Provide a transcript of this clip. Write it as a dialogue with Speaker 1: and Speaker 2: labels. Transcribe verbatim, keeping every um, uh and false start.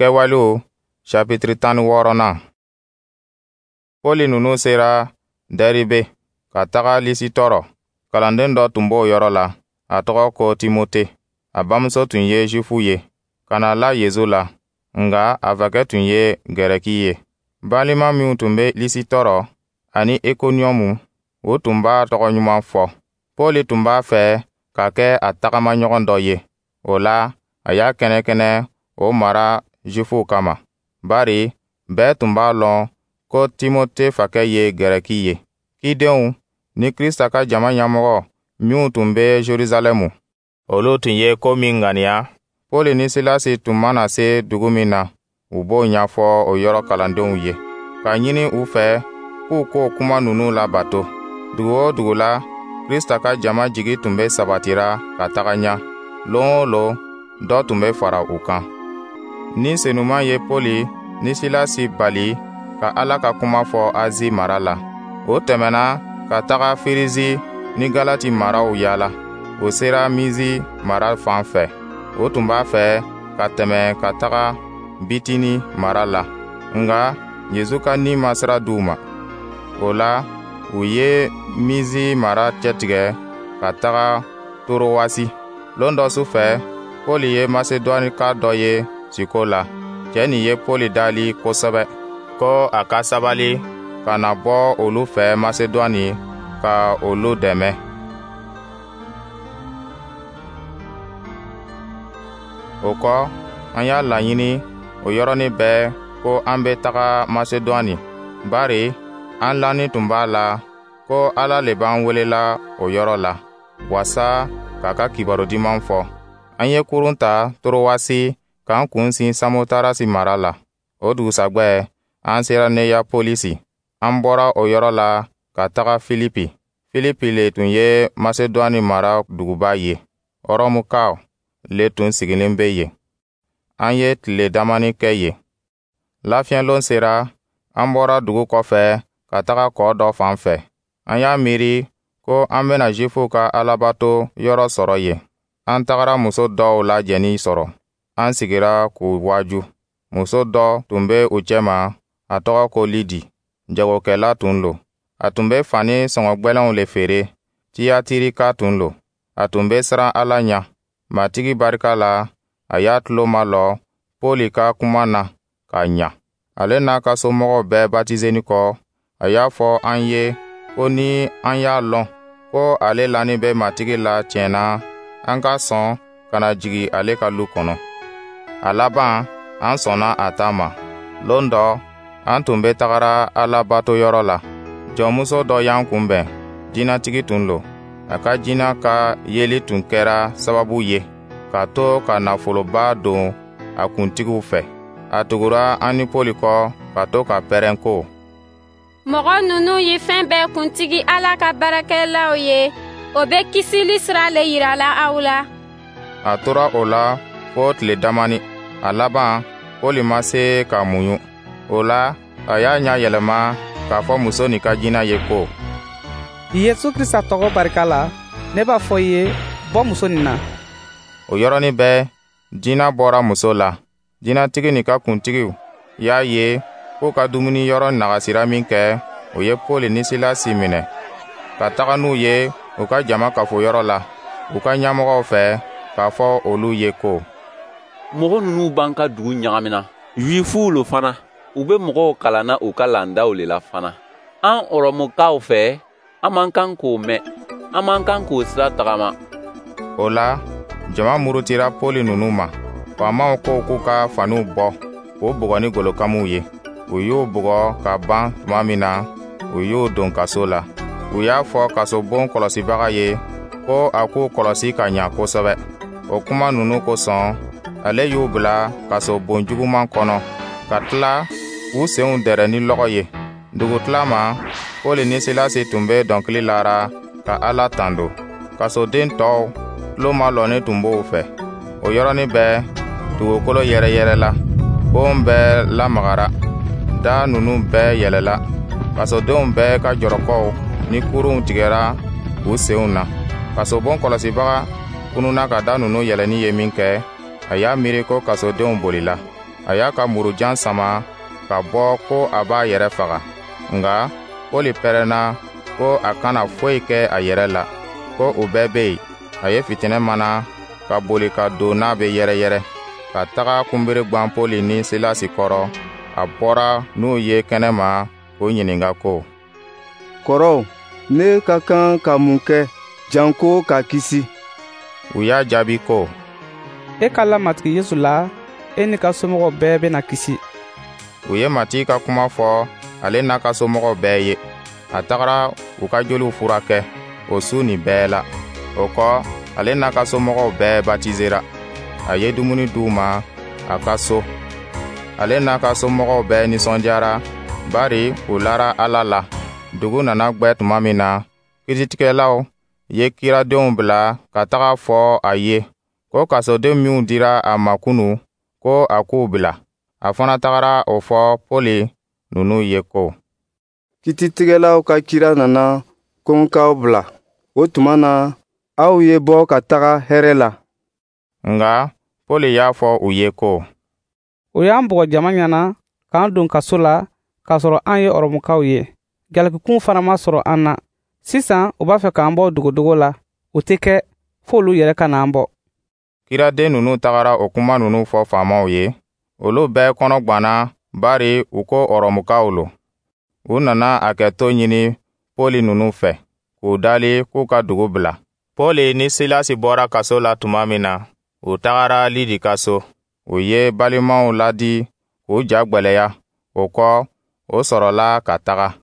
Speaker 1: Kɛwalew sapitiri tan ni wɔɔrɔnan. Pɔli ninnu sera Dɛribe ka taga Lisitɔrɔ. Kalanden dɔ tun b'o yɔrɔ la, a tɔgɔ ko Timote. A bamuso tun ye Zifu ye, ka na la Yezu la, nka a fakɛ tun ye Gɛrɛki ye. Balima minw tun bɛ Lisitɔrɔ ani Ikoniyɔmu, u tun b'a tɔgɔ ɲuman fɔ. Pɔli tun b'a fɛ ka kɛ a tagamaɲɔgɔn dɔ ye. O la, a y'a kɛnɛkɛnɛ o mara Zifuw kama, bari bɛɛ tun b'a lɔn ko Timote fakɛ ye Gɛrɛki ye. Cidenw ni Krista ka jama ɲɛmɔgɔ minw tun bɛ Jerusalɛmu, olu tun ye ko min ŋaniya, Pɔli ni Silasi tun mana se dugu min na, u b'o ɲɛfɔ o yɔrɔ kalandenw ye, k'a ɲini u fɛ k'u k'o kuma ninnu labato. Dugu o dugu la, Krista ka jama jigi tun bɛ sabatira ka taga ɲɛ. Lon o lon, dɔ tun bɛ fara u kan. Ni Senuman ye Pɔli ni Silasi bali ka Ala ka kuma fɔ Azi mara la. O tɛmɛna ka taga Firizi ni Galati maraw yaala. O sera Mizi mara fan fɛ. O tun b'a fɛ ka tɛmɛ ka taga Bitini mara la, nka Yezu ka Ni ma sira di u ma. O la, u ye Mizi mara cɛtigɛ ka taga Torowasi. Lon dɔ su fɛ, Pɔli ye Masedɔnika dɔ ye siko la. Cɛ nin ye Pɔli dali kosɛbɛ ko a ka sabali ka na bɔ olu fɛ Masedɔni ka olu dɛmɛ. O kɔ, an y'a laɲini o yɔrɔnin bɛɛ ko an bɛ taga Masedɔni, bari an lanin tun b'a la ko Ala le b'an welela o yɔrɔ la, wasa k'a ka kibaru duman fɔ. An ye kurun ta Torowasi k'an kun sin Samotarasi mara la. O dugusajɛ, an sera Neyapolisi. An bɔra o yɔrɔ la ka taga Filipi. Filipi le tun ye Masedɔni mara duguba ye. Ɔrɔmukaw le tun sigilen bɛ yen. An ye tile damani kɛ yen. Lafiɲɛlon sera, an bɔra dugu kɔfɛ ka taga kɔ dɔ fan fɛ. An y'a miiri ko an bɛna Zifuw ka alabato yɔrɔ sɔrɔ yen. An tagara muso dɔw lajɛnin sɔrɔ. An sigira k'u waaju. Muso dɔ tun bɛ u cɛma, a tɔgɔ ko Lidi. Jagokɛla tun lo. A tun bɛ fani sɔngɔ gwɛlɛnw le feere. Tiyatirika tun lo. A tun bɛ siran Ala ɲɛ. Matigi barika la, a y'a tulo malɔ Pɔli ka kuma na k'a ɲa. Ale n'a ka somɔgɔw bɛɛ batizeni kɔ, a y'a fɔ an ye ko ni an y'a lɔn ko ale lanin bɛ Matigi la tiɲɛ na, an ka sɔn ka na jigin ale ka lu kɔnɔ. A laban, an sɔnna a ta ma. Lon dɔ, an tun bɛ tagara Alabatoyɔrɔ la. Jɔnmuso dɔ y'an kunbɛn, jinɛtigi tun lo. A ka jinɛ ka yeli tun kɛra sababu ye ka to ka nafoloba don a kuntigiw fɛ. A tugura an ni Pɔli kɔ ka to ka pɛrɛn ko:
Speaker 2: Mɔgɔ ninnu ye fɛn bɛɛ kuntigi Ala ka baarakɛlaw ye, o bɛ kisili sira le yirala aw la.
Speaker 1: A tora o la fo tile damani. A laban, Pɔli ma se ka muɲu. O la, a y'a ɲɛ yɛlɛma k'a fɔ muso nin ka jinɛ ye ko:
Speaker 3: Yesu Krista tɔgɔ barika la, ne b'a fɔ i ye, bɔ muso nin na.
Speaker 1: O yɔrɔnin bɛɛ, jinɛ bɔra muso la. Jinɛtigi nin ka kuntigiw y'a ye k'u ka dumuniyɔrɔ nagasira min kɛ, o ye Pɔli ni Silasi minɛ ka taga n'u ye u ka jama kafoyɔrɔ la, u ka ɲɛmɔgɔw fɛ, k'a fɔ olu ye ko:
Speaker 4: Mɔgɔ ninnu b'an ka dugu ɲagamina. Yuifuw lo fana, u bɛ mɔgɔw kalanna u ka laadaw le la fana. An Ɔrɔmukaw fɛ, an man kan k'o mɛn, an man kan k'o sira tagama.
Speaker 1: O la, jama murutira Pɔli ninnu ma. Faamaw ko k'u ka faniw bɔ k'u bugɔ ni golokamuw ye. U y'u bugɔ ka ban tuma min na, u y'u don kaso la. U y'a fɔ kasobon kɔlɔsibaga ye ko a k'u kɔlɔsi ka ɲa kosɛbɛ. O kuma ninnu kosɔn, ale y'u bila kasobon juguman kɔnɔ, ka tila k'u senw dɛrɛ ni lɔgɔ ye. Dugutila ma, Pɔli ni Silasi tun bɛ dɔnkili lara ka Ala tando. Kasoden tɔw tulo malɔnnen tun b'o fɛ. O yɔrɔnin bɛɛ, dugukolo yɛrɛyɛrɛla, bon bɛɛ lamagara, da ninnu bɛɛ yɛlɛla. Kasodenw bɛɛ ka jɔrɔkɔw ni kurunw tigɛra u senw na. Kasobon kɔlɔsibaga kununa ka da ninnu yɛlɛnni ye min kɛ, a y'a miiri ko kasodenw bolila. A y'a ka murujan sama ka bɔ ko a b'a yɛrɛ faga. Nka Pɔli pɛrɛnna ko a kana foyi kɛ a yɛrɛ la, ko u bɛɛ bɛ yen. A ye fitinɛ mana ka boli ka don n'a bɛ yɛrɛyɛrɛ, ka taga kunbere gwan Pɔli ni Silasi kɔrɔ. A bɔra n'u ye kɛnɛma k'u ɲininka ko:
Speaker 5: «Kɔrɔw, ne ka kan ka mun kɛ janko ka kisi?»
Speaker 1: U y'a jaabi ko:
Speaker 3: «E ka la Matigi Yesu la, e n'i ka somɔgɔw bɛɛ bɛna kisi.»
Speaker 1: U ye Matigi ka kuma fɔ ale n'a ka somɔgɔw bɛɛ ye. A tagara u ka joliw furakɛ o su nin bɛɛ la. O kɔ, ale n'a ka somɔgɔw bɛɛ batizera. A ye dumuni d'u ma a ka so. Ale n'a ka somɔgɔw bɛɛ nisɔndiyara, bari u lara Ala la. Dugu nana gwɛ tuma min na, kiiritigɛlaw ye kiradenw bila ka taga fɔ a ye ko kasoden minw dira a ma kunu, ko a k'u bila. A fana tagara o fɔ Pɔli ninnu ye ko:
Speaker 5: «Kititigɛlaw ka kira nana ko n k'aw bila. O tuma na, aw ye bɔ ka taga hɛrɛ la.»
Speaker 1: Nka Pɔli y'a fɔ u ye ko:
Speaker 3: «O y'an bugɔ jama ɲɛna k'an don kaso la k'a sɔrɔ an ye Ɔrɔmukaw ye. Jalakikun fana ma sɔrɔ an na. Sisan u b'a fɛ k'an bɔ dogodogo la. O tɛ kɛ, fo olu yɛrɛ ka n'an bɔ.»
Speaker 1: Kiraden ninnu tagara o kuma ninnu fɔ faamaw ye. Olu bɛɛ kɔnɔ gwanna, bari u ko Ɔrɔmukaw lo. U nana a kɛto ɲini Pɔli ninnu fɛ, k'u dali k'u ka dugu bila. Pɔli ni Silasi bɔra kaso la tuma min na, u tagara Lidi ka so. U ye balimaw ladi k'u ja gwɛlɛya. O kɔ, o sɔrɔla ka taga.